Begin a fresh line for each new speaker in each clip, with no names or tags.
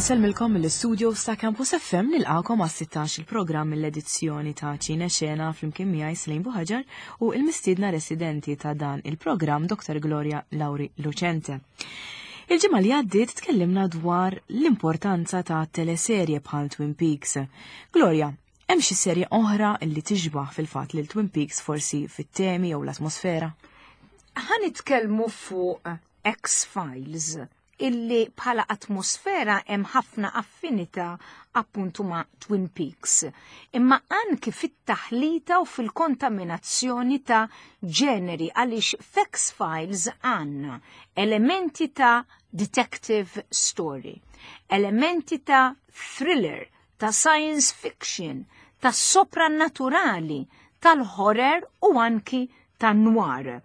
Insellmilkom mill-istudio ta' Campus FM nilqakom għas 16 il-programm mill-edizzjoni ta' Ċine Xena flimkien miegħi Slim Buħaġar u il-mistiedna residenti ta' dan il-programm Dr. Gloria Lauri Lucente. Il-ġimgħa li għaddiet tkellimna dwar l-importanza ta' teleserje bħal Twin Peaks. Gloria, hemm xi serje oħra li tixbaħ fil-fatt lil Twin Peaks forsi fit-temi jew l-atmosfera?
Ħa nitkellmu fuq X-Files illi bħala atmosfera hemm ħafna affinità appuntu ma' Twin Peaks. Imma anki fit-taħlita u fil-kontaminazzjoni ta' ġeneri għaliex f'X-Files għandna elementi ta' detective story, elementi ta' thriller, ta' science fiction, ta' soprannaturali, tal-horror u anki ta' noir.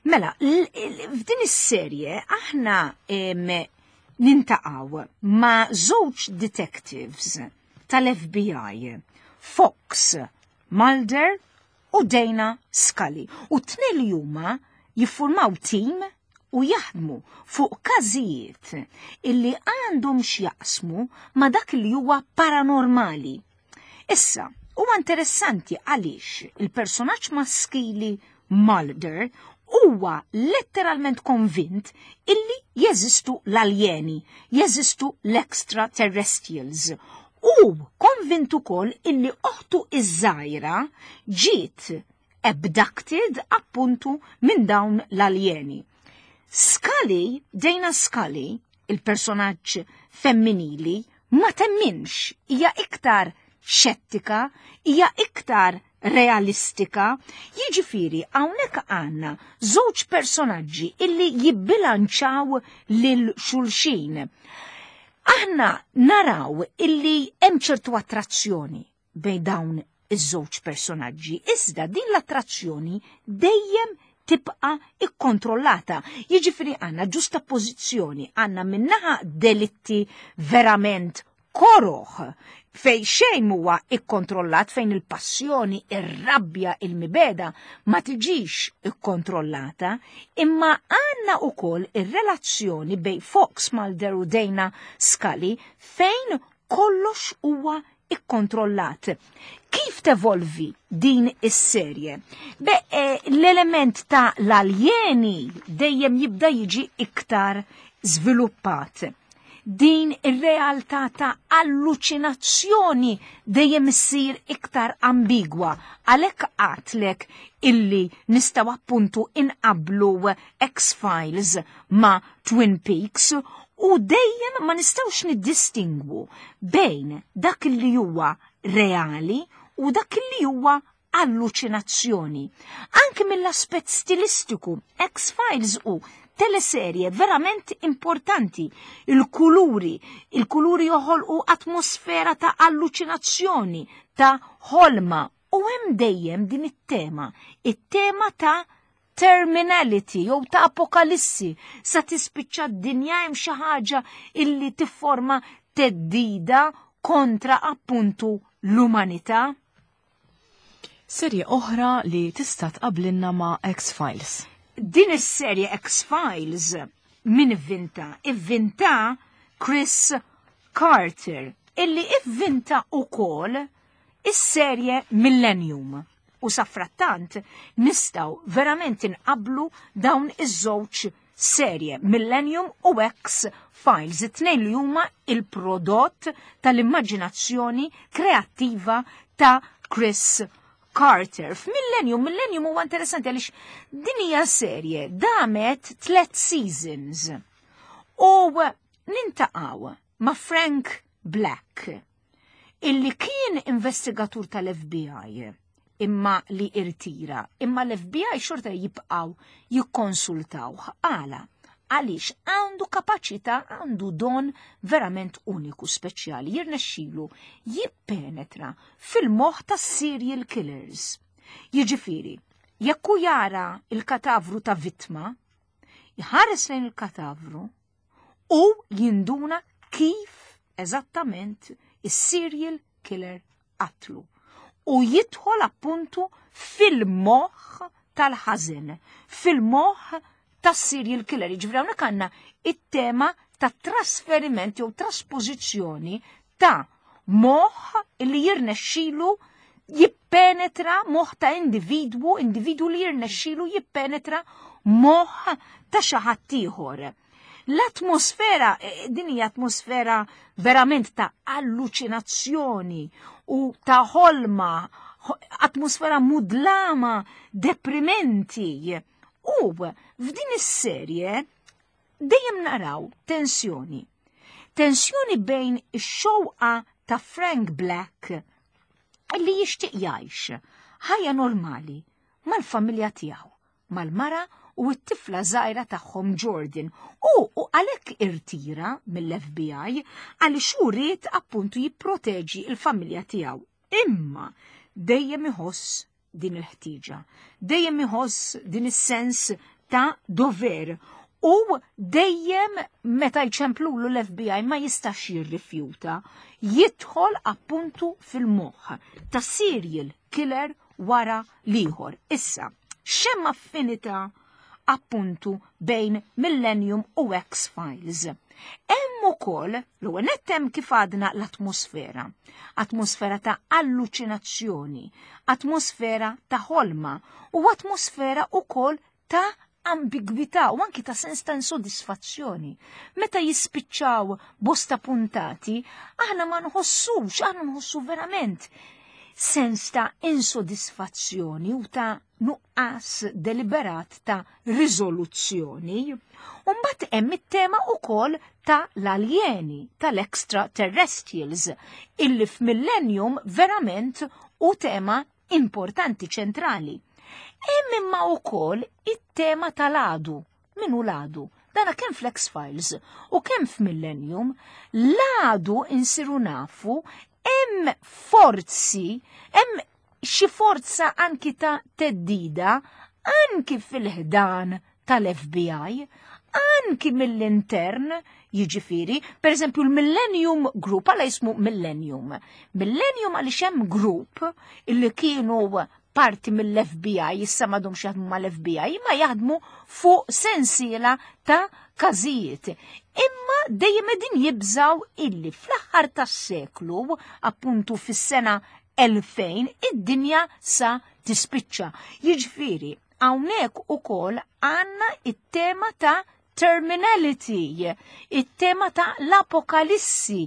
Mela, f'din is-serje aħna nintaqgħu ma' żewġ detectives tal-FBI, Fox Mulder u Dana Scully. U t-tnejn li huma jiffurmaw tim u jaħdmu fuq każijiet illi għandhom x'jaqsmu ma' dak li huwa paranormali. Issa, huwa interessanti għaliex il-personaġġ maskili Mulder huwa letteralment konvint illi jeżistu l-aljeni, jeżistu l-extraterrestrials. U konvint ukoll illi oħtu iż-żgħira ġiet abducted appuntu minn dawn l-aljeni. Scully, Dana Scully, il-personaġġ femminili, ma temminx, hija iktar xettika, hija iktar realistika, jiġifieri hawnhekk għandna żewġ personaġġi illi jibbilanċaw lil xulxin. Aħna naraw illi hemm ċertu attrazzjoni bejn dawn iż-żewġ personaġġi, iżda din l-attrazzjoni dejjem tibqa ikkontrollata. Jiġifieri għandna ġusta pożizzjoni, għandna minnaħa delitti verament koroħ fej xejn huwa ikkontrollat fejn il-passjoni, ir-rabbja, il-mibeda ma tiġix ikkontrollata, imma għandna ukoll ir-relazzjoni bejn Fox Mulder u Dana Scully fejn kollox huwa ikkontrollat. Kif tevolvi din is-serje? Be, eh, l-element ta' l-aljeni dejjem jibda jiġi iktar żviluppat. Din ir-realtà ta' alluċinazzjoni dejjem issir iktar ambigwa għalhekk għatlek illi nistgħu appuntu inqablu X-Files ma' Twin Peaks u dejjem ma nistgħux niddistingwu bejn dak li huwa reali u dak li huwa alluċinazzjoni. Anke mill-aspett stilistiku, X-Files u teleserje verament importanti. Il-kuluri, il-kuluri joħolqu atmosfera ta' alluċinazzjoni, ta' ħolma u hemm dejjem din it-tema, it-tema ta' terminality jew ta' apokalissi sa tispiċċa d-dinja hemm xi ħaġa illi tifforma teddida kontra appuntu l-umanità.
Serje oħra li tista' tqablinna ma' X-Files.
Din is-serje X-Files min ivvinta? Ivvinta Chris Carter illi ivvinta ukoll is-serje Millennium. U safrattant nistgħu verament inqablu dawn iż-żewġ serje Millennium u X Files, it-tnejn li huma il-prodott tal-immaġinazzjoni kreattiva ta' Chris Carter. F'Millennium, Millennium huwa interessanti għaliex din hija serje damet tlet seasons. U nintaqgħu ma' Frank Black illi kien investigatur tal-FBI imma li irtira, imma l-FBI xorta jibqaw jikkonsultawh. Għala, għaliex għandu kapaċità, għandu don verament uniku speċjali, jirnexxilu jippenetra fil-moħħ tas serial killers. Jiġifieri, jekk hu jara il-katavru ta' vittma, jħares lejn il-katavru u jinduna kif eżattament is-serial killer qatlu. U jidħol appuntu fil-moħħ tal-ħażen, fil-moħħ tas-serial killer. Jiġifieri hawnhekk għandna it-tema ta' trasferiment jew traspożizzjoni ta' moħħ li jirnexxilu jippenetra moħħ ta' individwu, individwu li jirnexxilu jippenetra moħħ ta' xi ħadd ieħor. L-atmosfera, eh, din hija atmosfera verament ta' alluċinazzjoni u ta' ħolma, atmosfera mudlama, deprimenti. U f'din is-serje dejjem naraw tensjoni. Tensjoni bejn ix-xewqa ta' Frank Black li jixtieq jgħix ħajja normali mal-familja tiegħu, mal-mara u t-tifla żgħira tagħhom Jordan u u għalhekk irtira mill-FBI għaliex hu ried appuntu jipproteġi l-familja tiegħu. Imma dejjem iħoss din il-ħtieġa, dejjem iħoss din is-sens ta' dover u dejjem meta jċemplulu l-FBI ma jistax jirrifjuta jidħol appuntu fil-moħħ ta' serial killer wara l-ieħor. Issa, x'hemm affinità appuntu bejn Millennium u X-Files. Hemm ukoll l-ewwel nett hemm kif għadna l-atmosfera. Atmosfera ta' alluċinazzjoni, atmosfera ta' ħolma u atmosfera ukoll ta' ambigwità u anki ta' sens ta' insodisfazzjoni. Meta jispiċċaw bosta puntati, aħna ma nħossux, aħna nħossu verament sens ta' insodisfazzjoni u ta' nuqqas deliberat ta' riżoluzzjoni. Umbat hemm it-tema ukoll ta' l-aljeni, tal-extraterrestrials, illi f'Millennium verament u tema importanti ċentrali. Hemm imma wkoll it-tema tal-għadu. Min hu l-għadu? Dana kemm fl-X-Files u kemm f'Millennium, l-għadu insiru nafu hemm forzi, hemm xi forza anki ta' teddida anki fil-ħdan tal-FBI, anki mill-intern, jiġifieri, per eżempju l-Millennium Group, għala jismu Millennium. Millennium għaliex hemm group illi kienu parti mill-FBI, issa m'għadhomx jaħdmu mal-FBI, ma jaħdmu fuq sensiela ta' każijiet. Imma dejjem qegħdin jibżaw illi fl-aħħar tas-seklu, appuntu fis-sena 2000, id-dinja sa tispiċċa. Jiġifieri, hawnhekk ukoll għandna it-tema ta' terminality, it-tema ta' l-apokalissi,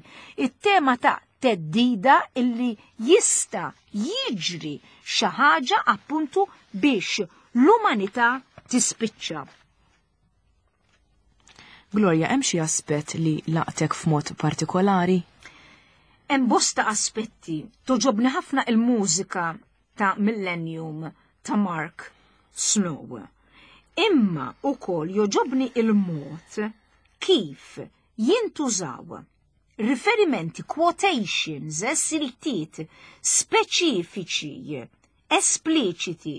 it-tema ta' teddida illi jista' jiġri xi ħaġa appuntu biex l-umanità tispiċċa.
Gloria, hemm xi aspett li laqtek f'mod partikolari?
Hemm bosta aspetti. Toġobni ħafna il-mużika ta' Millennium ta' Mark Snow. Imma ukoll joġobni il-mod kif jintużaw riferimenti, quotations, siltiet speċifiċi, espliċiti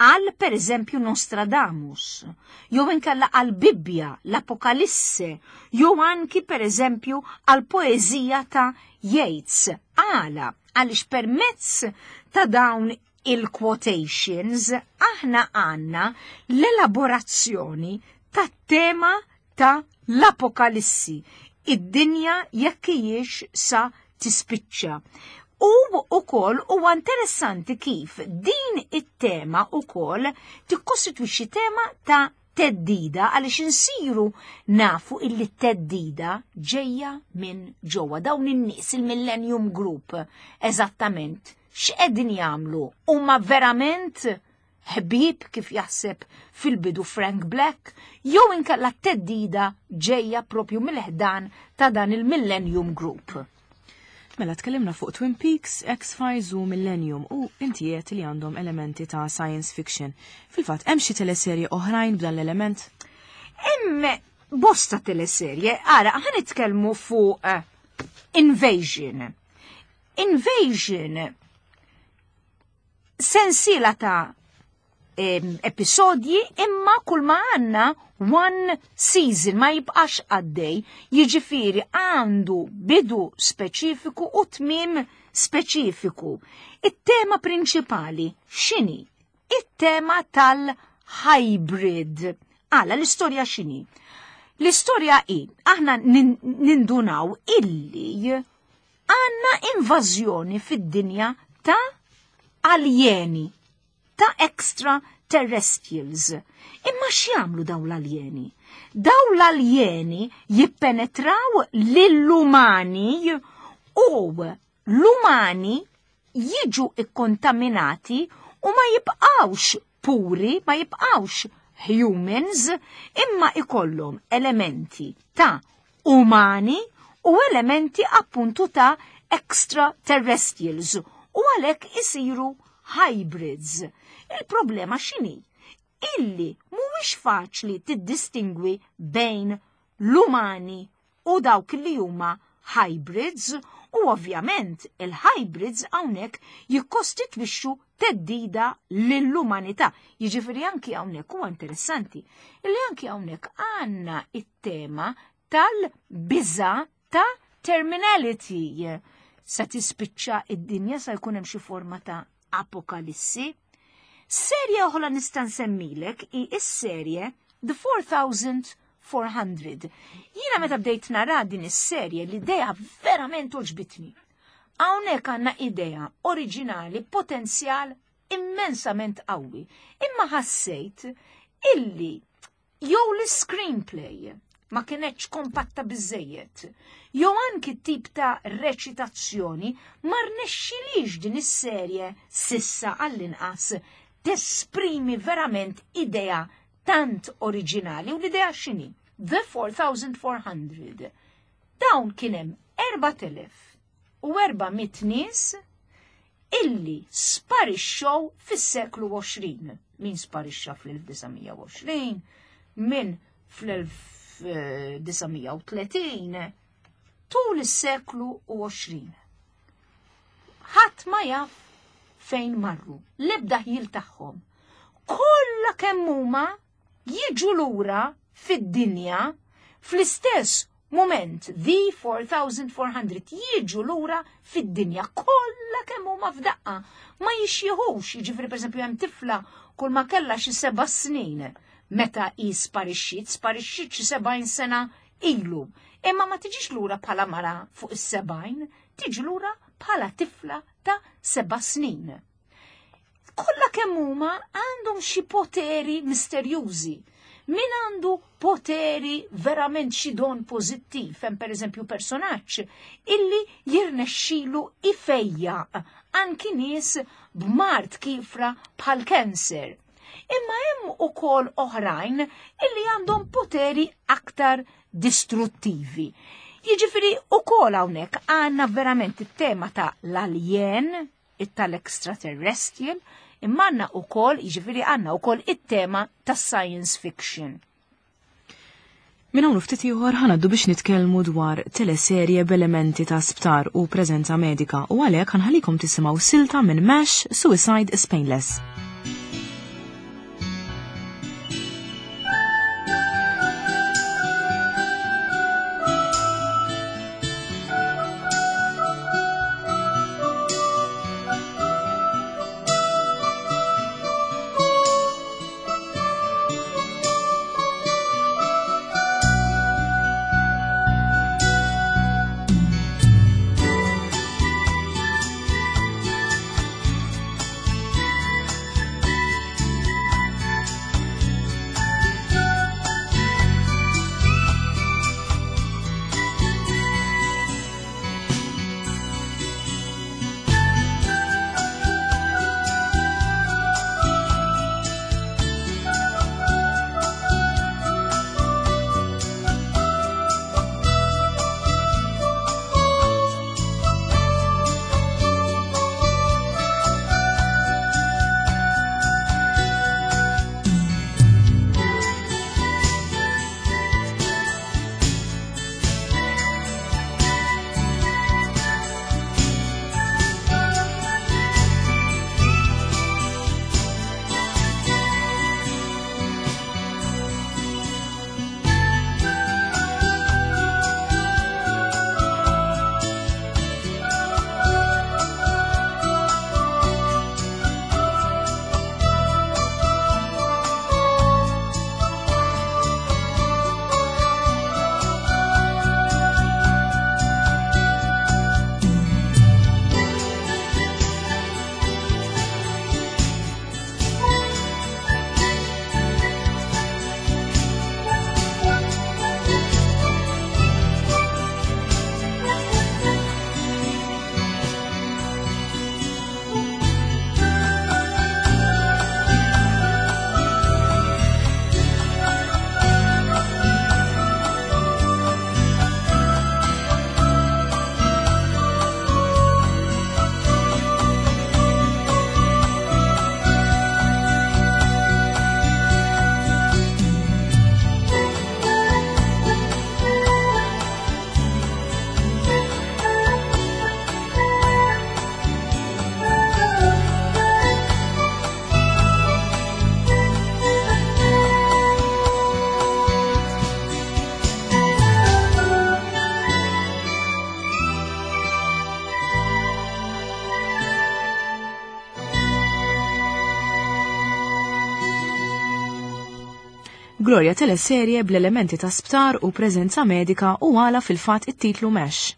għal per eżempju Nostradamus, jew inkella għal Bibbja, l-Apokalisse, jew anki per eżempju għal poeżija ta' Yeats. Għala, għaliex permezz ta' dawn il-quotations aħna għandna l-elaborazzjoni tat-tema ta' l-Apokalissi, id-dinja jekk hijiex sa tispiċċa. U ukoll huwa interessanti kif din it-tema ukoll tikkostitwixxi tema ta' teddida għaliex insiru nafu illi t-teddida ġejja minn ġewwa dawn in-nies il-Millennium Group eżattament x'qegħdin jagħmlu huma verament ħbieb kif jaħseb fil-bidu Frank Black jew inkella t-teddida ġejja propju mill-ħdan ta' dan il-Millennium Group.
Mela tkellimna fuq Twin Peaks, X-Files u Millennium u inti qed li għandhom elementi ta' science fiction. Fil-fatt hemm xi teleserje oħrajn b'dan l-element?
Hemm bosta teleserje, ara ħa nitkellmu fuq eh, Invasion. Invasion sensiela ta' episodji imma kull ma għanna one season ma jibqax għaddej, jiġifieri għandu bidu speċifiku u tmiem speċifiku. It-tema prinċipali x'inhi? It-tema tal-hybrid. Għala l-istorja x'inhi? L-istorja hi, aħna nindunaw illi għandna invażjoni fid-dinja ta' aljeni, ta' extraterrestrials. Imma x'jagħmlu dawn l-aljeni? Dawn l-aljeni jippenetraw lill-umani u l-umani jiġu ikkontaminati u ma jibqgħux puri, ma jibqgħux humans, imma ikollhom elementi ta' umani u elementi appuntu ta' extraterrestrials u għalhekk isiru hybrids. Il-problema x'inhi? Illi mhuwiex faċli tiddistingwi bejn l-umani u dawk li huma hybrids u ovvjament il-hybrids hawnhekk jikkostitwixxu theddida lill-umanità. Jiġifieri anki hawnhekk huwa interessanti illi anki hawnhekk għandna it-tema tal-biża ta' terminality. Sa tispiċċa id-dinja sa jkun hemm xi forma ta' apokalissi. Serje oħra nista' nsemmilek hi s-serje The 4400. Jiena meta bdejt nara din is-serje l-idea verament għoġbitni. Hawnhekk għandna idea oriġinali, potenzjal immensament qawwi. Imma ħassejt illi jew l-screenplay ma kienetx kompatta biżejjed, jew anki tip ta' reċitazzjoni ma rnexxilix din is-serje sissa għall-inqas tesprimi verament idea tant oriġinali. U l-idea x'inhi? The 4400. Dawn kien hemm 4400 nies illi sparixxew fis-seklu 20. Min sparixxa fl-1920, min fl-1930, tul is-seklu 20. Ħadd ma jaf fejn marru, l-ebda ħjiel tagħhom. Kollha kemm huma jiġu lura fid-dinja fl-istess moment, the 4400 jiġu lura fid-dinja kollha kemm huma f'daqqa. Ma jixjieħux, jiġifieri pereżempju hemm tifla kull ma kellha xi 7 snin meta hi sparixxiet, sparixxiet xi 70 sena ilu. Imma ma tiġix lura bħala mara fuq is-70, tiġi lura bħala tifla ta' 7 snin. Kollha kemm huma għandhom xi poteri misterjużi. Min għandu poteri verament xi don pożittiv, hemm pereżempju personaġġ illi jirnexxilu ifejjaq anki nies b'mard kifra bħal cancer. Imma hemm ukoll oħrajn illi għandhom poteri aktar distruttivi. Jiġifieri ukoll hawnhekk għandna verament it-tema ta' l-alien, tal-extraterrestrial, imma għandna ukoll, jiġifieri għandna ukoll it-tema tas-science fiction.
Minn hawn ftit ieħor ħanaddu biex nitkellmu dwar teleserje b'elementi ta' sptar u preżenza medika u għalhekk ħanħallikom tisimgħu silta minn MASH Suicide is Painless. Gloria teleserje bl-elementi ta' sptar u preżenza medika u għala fil-fatt it-titlu MASH.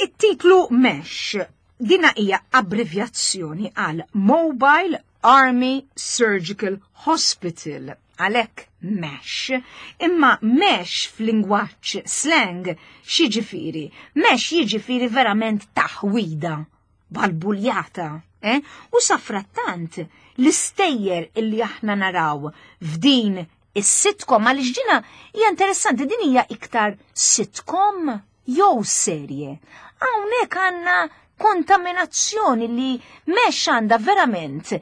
It-titlu MASH dina hija abbrevjazzjoni għal Mobile Army Surgical Hospital, għalhekk MASH. Imma MASH f'lingwaġġ slang x'jiġifieri? MASH jiġifieri verament taħwida, balbuljata, eh? U safrattant l-istejjer illi aħna naraw f'din is-sitcom, għaliex dina hija interessanti, din hija iktar sitcom jew serje. Hawnhekk għandna kontaminazzjoni li MASH għandha verament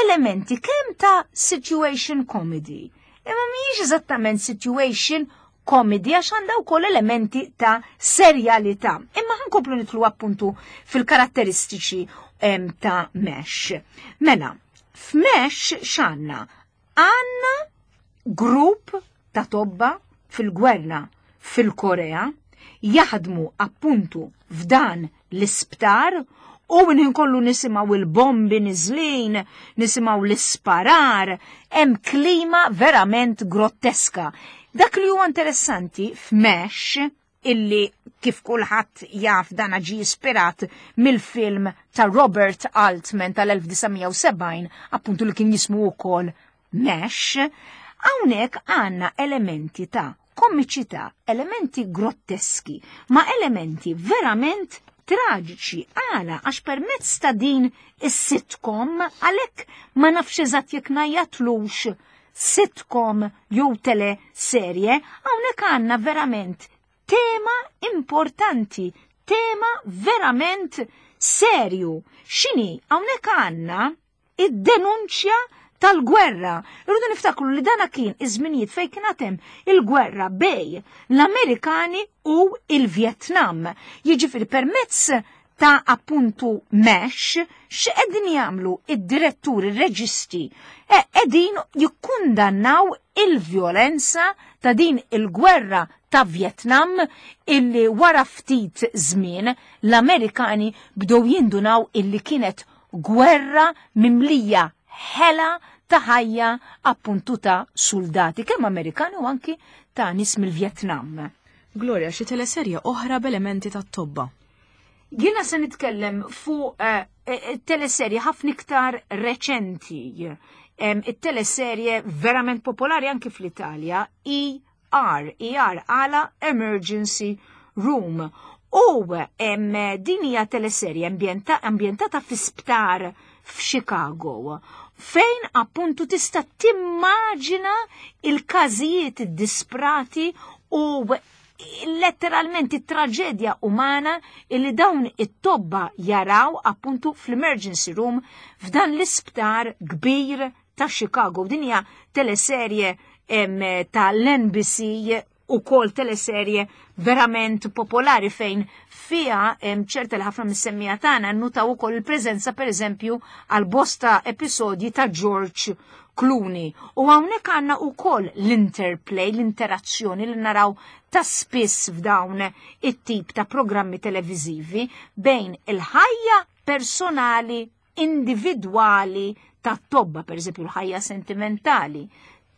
elementi kemm ta' situation comedy. Imma mhijiex eżattament situation comedy għax għandha wkoll elementi ta' serjalità. Imma ħankomplu nitlu appuntu fil-karatteristiċi ta' MASH. Mela, f'MASH x'għandna? Għandna grupp ta' tobba fil-gwerra fil-Korea jaħdmu appuntu f'dan l-isptar u minn kollu nisimgħu il-bombi niżlin, nisimgħu l-isparar, hemm klima verament grotteska. Dak li huwa interessanti f'MASH, illi kif kulħadd jaf dan ġie ispirat mill-film ta' Robert Altman tal-1970, appuntu li kien jismu wkoll MASH, hawnhekk għandna elementi ta' komiċità, elementi grotteski, ma' elementi verament traġiċi. Għala, għax permezz ta' din is-sitcom, għalhekk ma nafx eżatt jekk ngħajjatlux sitcom jew teleserje, hawnhekk għandna verament tema importanti, tema verament serju. X'inhi? Hawnhekk għandna id-denunċja tal-gwerra. Irridu niftakru li dana kien iż-żminijiet fejn kien hemm il-gwerra bej l-Amerikani u il-Vjetnam. Jiġifieri permezz ta' appuntu MASH, x'qegħdin jagħmlu id-diretturi, ir-reġisti? Qegħdin jikkundannaw il-vjolenza ta' din il-gwerra ta' Vjetnam illi wara ftit żmien l-Amerikani bdew jindunaw illi kienet gwerra mimlija ħela ta' ħajja appuntu ta' soldati, kemm Amerikani u anki ta' nies mill-Vjetnam.
Gloria, xi teleserje oħra b'elementi ta' tobba?
Jiena se nitkellem fuq teleserje ħafna iktar reċenti. It-teleserje verament popolari anki fl-Italja, ER, ER għala Emergency Room. U din hija teleserje ambjentata fi sptar f'Chicago, fejn appuntu tista' timmaġina il-każijiet disprati u letteralment it-traġedja umana illi dawn it-tobba jaraw appuntu fl-emergency room f'dan l-isptar kbir ta' Chicago. Din hija teleserje tal-NBC u kol teleserje verament popolari fejn fija ċerta li ħafna mis-semmija tagħna nnutaw ukoll il-preżenza pereżempju għal bosta episodji ta' George Clooney. U hawnhekk għandna wkoll l-interplay, l-interazzjoni li naraw ta' spiss f'dawn it-tip ta' programmi televiżivi bejn il-ħajja personali individwali ta' tobba, per eżempju l-ħajja sentimentali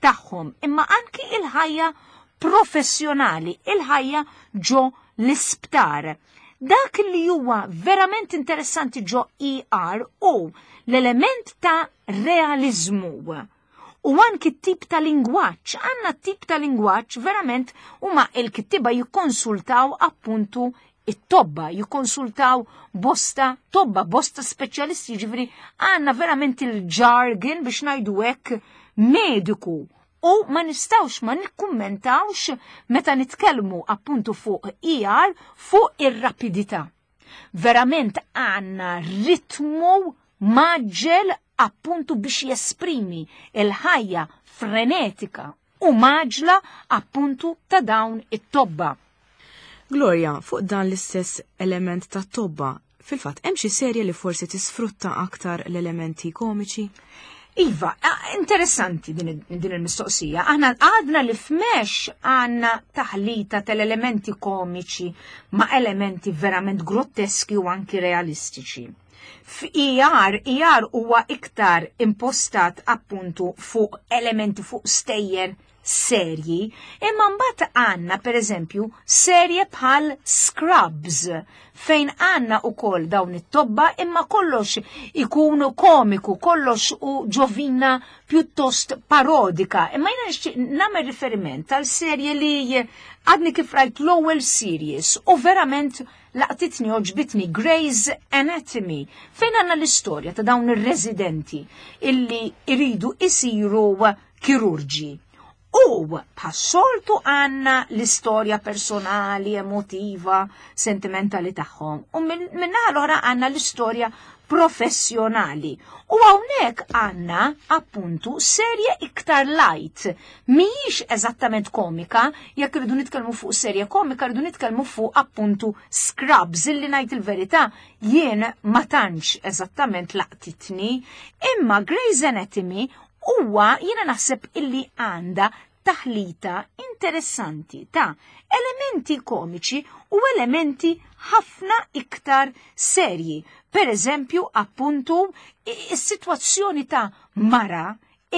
tagħhom, imma anki il-ħajja professjonali, il-ħajja ġo l-isptar. Dak li huwa verament interessanti ġo ER u l-element ta' realizmu. U anki t-tip ta' lingwaġġ, għandna t-tip ta' lingwaġġ verament huma il-kittiba jikkonsultaw appuntu it-tobba, jikkonsultaw bosta tobba, bosta speċjalisti, ġifieri għandna verament il-jargon biex ngħidu hekk mediku. U ma nistawx ma nikkummentawx meta nitkellmu appuntu fuq ER fuq ir-rapidità. Verament għandna ritmu maġġel appuntu biex jesprimi il-ħajja frenetika u maġla appuntu ta' dawn it-tobba.
Gloria, fuq dan l-istess element ta' tobba, fil-fatt hemm xi serje li forsi tisfrutta aktar l-elementi komiċi?
Iva, interessanti din il-mistoqsija. Aħna għadna li f'MASH għandna taħlita tal-elementi komiċi ma' elementi verament grotteski u anki realistiċi. F'ER, ER huwa iktar impostat appuntu fuq elementi fuq stejjer serji, imma mbagħad għandna pereżempju serje bħal Scrubs fejn għandna ukoll dawn it-tobba imma kollox ikun komiku, kollox u ġovina pjuttost parodika. Imma jiena nixtieq nagħmel riferiment għal serje li għadni kif rajt l-ewwel series u verament laqtitni għoġbitni Grey's Anatomy fejn għandna l-istorja ta' dawn ir-residenti illi iridu isiru kirurġi. U bħas-soltu għandna l-istorja personali, emotiva, sentimentali tagħhom. U minnaħa l-oħra għandna l-istorja professjonali. U hawnhekk għandna appuntu serje iktar light. Mhijiex eżattament komika, jekk irridu nitkellmu fuq serje komika, rridu nitkellmu fuq appuntu Scrubs, illi ngħid il-verità jien ma tantx eżattament laqtitni, imma Grey's Anatomy huwa jiena naħseb illi għandha taħlita interessanti ta' elementi komiċi u elementi ħafna iktar serji. Per eżempju, appuntu, is-sitwazzjoni ta' mara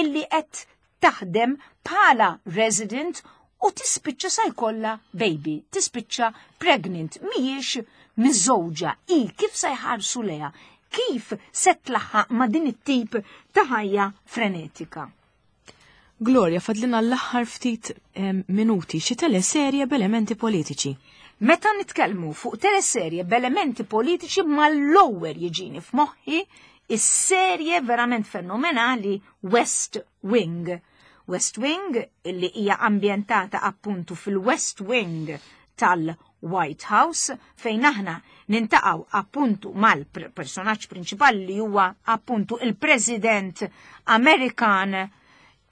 illi qed taħdem bħala resident u tispiċċa sa jkollha baby, tispiċċa pregnant, mhijiex miżżewġa, i kif se jħarsu leha, kif se tlaħħaq ma' din it-tip ta' ħajja frenetika.
Gloria, fadlina l-aħħar ftit minuti xi teleserje b'elementi politiċi.
Meta nitkellmu fuq teleserje b'elementi politiċi mal-ewwel jiġini f'moħħi is-serje verament fenomenali West Wing. West Wing illi hija ambjentata appuntu fil-West Wing tal-White House fejn aħna nintaqgħu appuntu mal-personaġġ prinċipali li huwa appuntu il-President Amerikan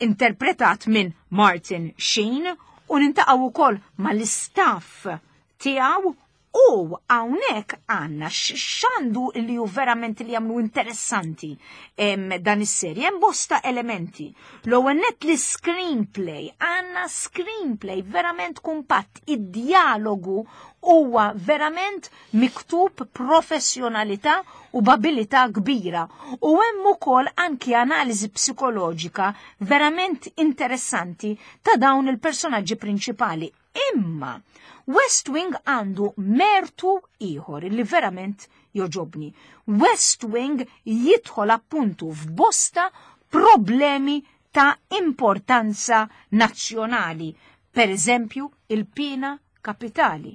interpretat minn Martin Sheen u nintaqgħu wkoll mal-istaff tiegħu. U hawnhekk għandna x'għandu li hu verament li jagħmlu interessanti dan is-serje hemm bosta elementi. L-ewwel nett li screenplay, għandna screenplay verament kumpatt, id-dialogu huwa verament miktub professjonalità u b'abilità kbira. U hemm ukoll anki analiżi psikoloġika verament interessanti ta' dawn il-personaġġi prinċipali. Imma West Wing għandu mertu ieħor li verament joġobni. West Wing jidħol appuntu f'bosta problemi ta' importanza nazzjonali, per eżempju il-pena kapitali.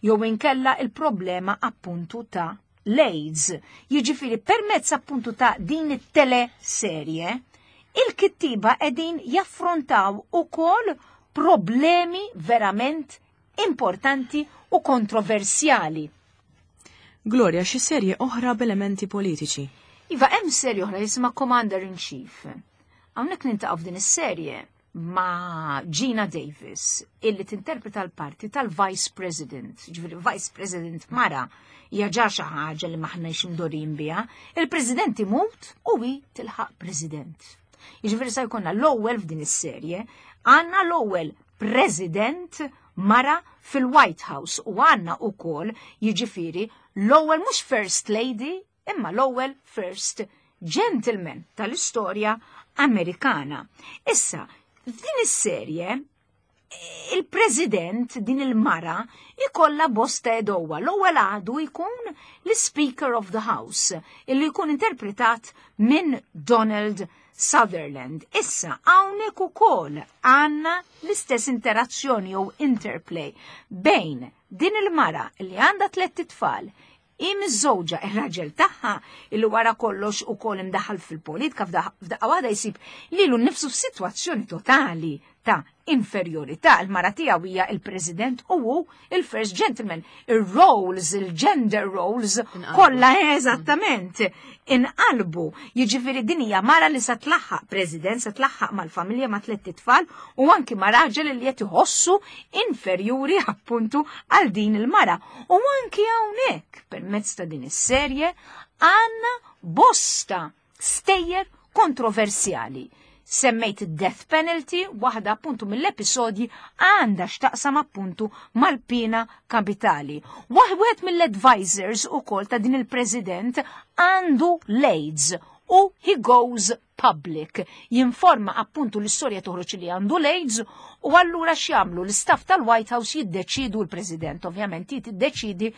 Jew inkella il-problema appuntu ta' l-AIDS. Jiġifieri permezz appuntu ta' din it-teleserje, il-kittiba qegħdin jaffrontaw ukoll problemi verament importanti u kontroversjali.
Gloria, xi serje oħra b'elementi politiċi?
Iva, hemm serje oħra jisimha Commander in Chief. Hawnhekk nintaqgħu f'din is-serje ma' Gina Davis, illi tinterpreta l-parti tal-Vice President. Ġifieri Vice President mara hija ġa xi ħaġa li m'aħniex imdorin biha. Il-President imut u hi tilħaq President. Jiġifieri sa jkollna l-ewwel f'din is-serje, għandna l-ewwel President mara fil-White House u għandna wkoll jiġifieri l-ewwel mhux First Lady imma l-ewwel First Gentleman tal-istorja Amerikana. Issa, f'din is-serje il-President din il-mara ikolla bosta edowa. L-ewwel għadu jkun l-Speaker of the House, illi jkun interpretat minn Donald Sutherland. Issa, hawnhekk ukoll għandna l-istess interazzjoni jew interplay bejn din il-mara li għandha tlett itfal, hi miżżewġa ir-raġel tagħha illi wara kollox ukoll imdaħħal fil-politika f'daqqa waħda jsib lilu nnifsu f'sitwazzjoni totali ta' inferjorità. Il-mara tiegħu hija il-President u hu il-First Gentleman. Ir-roles, il-gender roles, kollha eżattament inqalbu. Jiġifieri din hija mara li se tlaħħaq President, se tlaħħaq mal-familja ma' tlett itfal u anki ma' raġel li qed iħossu inferjuri appuntu għal din il-mara. U anki hawnhekk permezz ta' din is-serje għandna bosta stejjer kontroversjali. Semmejt id-death penalty, waħda appuntu mill-episodji għandha x'taqsam appuntu mal-pena kapitali. Wieħed mill-advisors ukoll ta' din il-president għandu l-AIDS u he goes public. Jinforma appuntu l-istorja toħroġ li għandu l-AIDS u allura x'jagħmlu l-istaff tal-White House jiddeċidu, l-President ovvjament jiddeċidi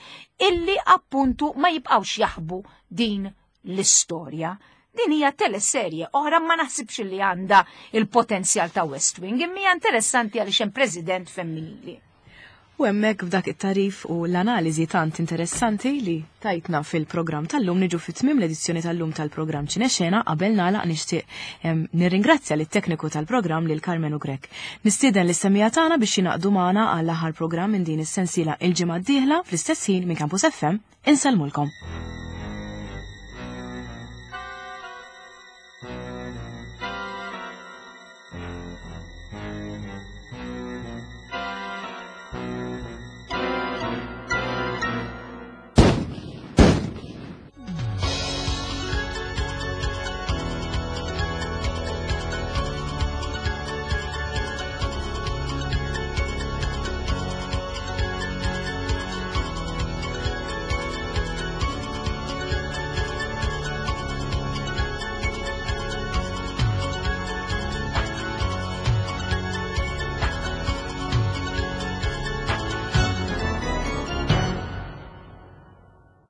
illi appuntu ma jibqgħux jaħbu din l-istorja. Din hija teleserje oħra, ma naħsibx li għandha il-potenzjal ta' West Wing, imma hija interessanti għaliex hemm president femminili.
U hemmhekk, f'dak it-tarif u l-analiżi tant interessanti li tajtna fil-programm tal-lum, niġu fit-tmim l-edizzjoni tal-lum tal-programm Ċinexena. Qabel nagħlaq, nixtieq nirringrazzja lit-tekniku tal-programm, lil Carmenu Grek. Nistieden lis-semmiegħa tagħna biex jingħaqdu magħna għall-aħħar programm minn din is-sensiela il-ġimgħa d-dieħla fl-istess ħin minn Campus FM. Insellmulkom.